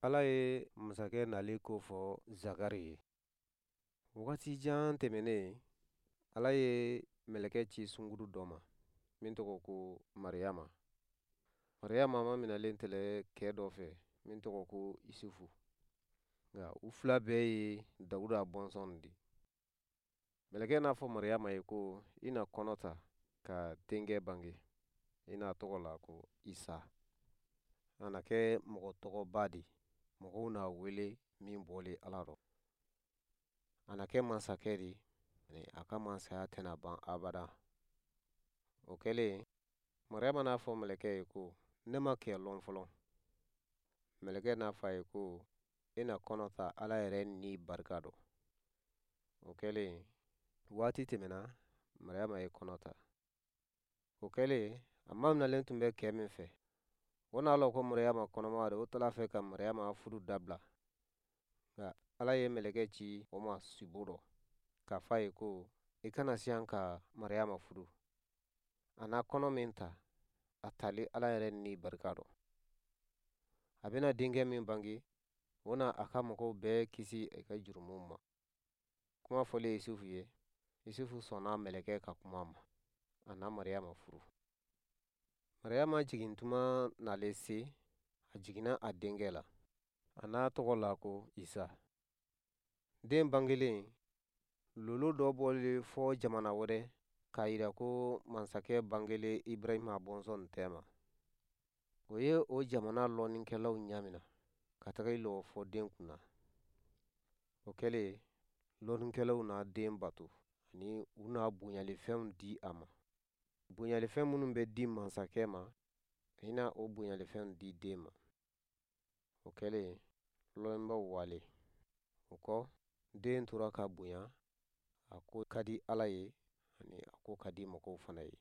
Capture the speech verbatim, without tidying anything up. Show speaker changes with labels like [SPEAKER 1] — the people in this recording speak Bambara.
[SPEAKER 1] Ala ye masakɛ nali ko fɔ Zakari ye. Wagati jan tɛmɛnen, Ala ye mɛlɛkɛ ci sunguru dɔ ma min tɔgɔ ko Mariyama. Mariyama maminɛlen tɛlɛ kɛ dɔ fɛ min tɔgɔ ko Isufu. Nka u fila bɛɛ ye Dawuda bɔnsɔn di. Mɛlɛkɛ n'a fɔ Mariyama ye ko i na kɔnɔ ta ka denkɛ bange. I n'a tɔgɔ la ko Isa. A na kɛ mɔgɔ tɔgɔba di. Mɔgɔw n'a wele min bɔlen Ala rɔ. A na kɛ masakɛ di, ani a ka masaya tɛna ban abada. O kɛlen, Mariyama n'a fɔ mɛlɛkɛ ye ko, ne ma kɛ lɔn fɔlɔ. Mɛlɛkɛ n'a fɔ a ye ko, i na kɔnɔ ta Ala yɛrɛ ni barika dɔ. O kɛlen, waati tɛmɛna, Mariyama ye kɔnɔ ta. O kɛlen, a maminɛlen tun bɛ kɛ min fɛ, o n'a lɔn ko Mariyama kɔnɔma de, o tala fɛ ka Mariyama furu dabila. Nka Ala ye mɛlɛkɛ ci o ma sibo dɔ, k'a fɔ a ye ko, i kana siyan ka Mariyama furu. A n'a kɔnɔ min ta, a tali Ala yɛrɛ ni barika dɔ. A bɛna denkɛ min bange, o na a ka mɔgɔw bɛɛ kisi a ka jurumuw ma. Kuma fɔlen Yusufu ye, Yusufu sɔnna mɛlɛkɛ ka kuma ma. A na Mariyama furu. Mariyama jigintuma nalen se, a jiginna a denkɛ la. A n'a tɔgɔ la ko Isa. Den bangelen, lolo dɔ bɔlen fɔ jamana wɛrɛ k'a yira ko masakɛ bangelen Ibrahima bɔnsɔn tɛ ma. O ye o jamana lɔnnikɛlaw ɲamina ka taga i lɔ fɔ den kunna. O kɛlen, lɔnnikɛlaw n'a den bato ani u n'a bonyalifɛnw di a ma. Bonyalifɛn minnu bɛ di masakɛ ma, i na o bonyalifɛnw di den ma. O kɛlen, lɔnnibaw wale. O kɔ, den tora ka bonya, a ko ka di Ala ye ani a ko ka di mɔgɔw fana ye.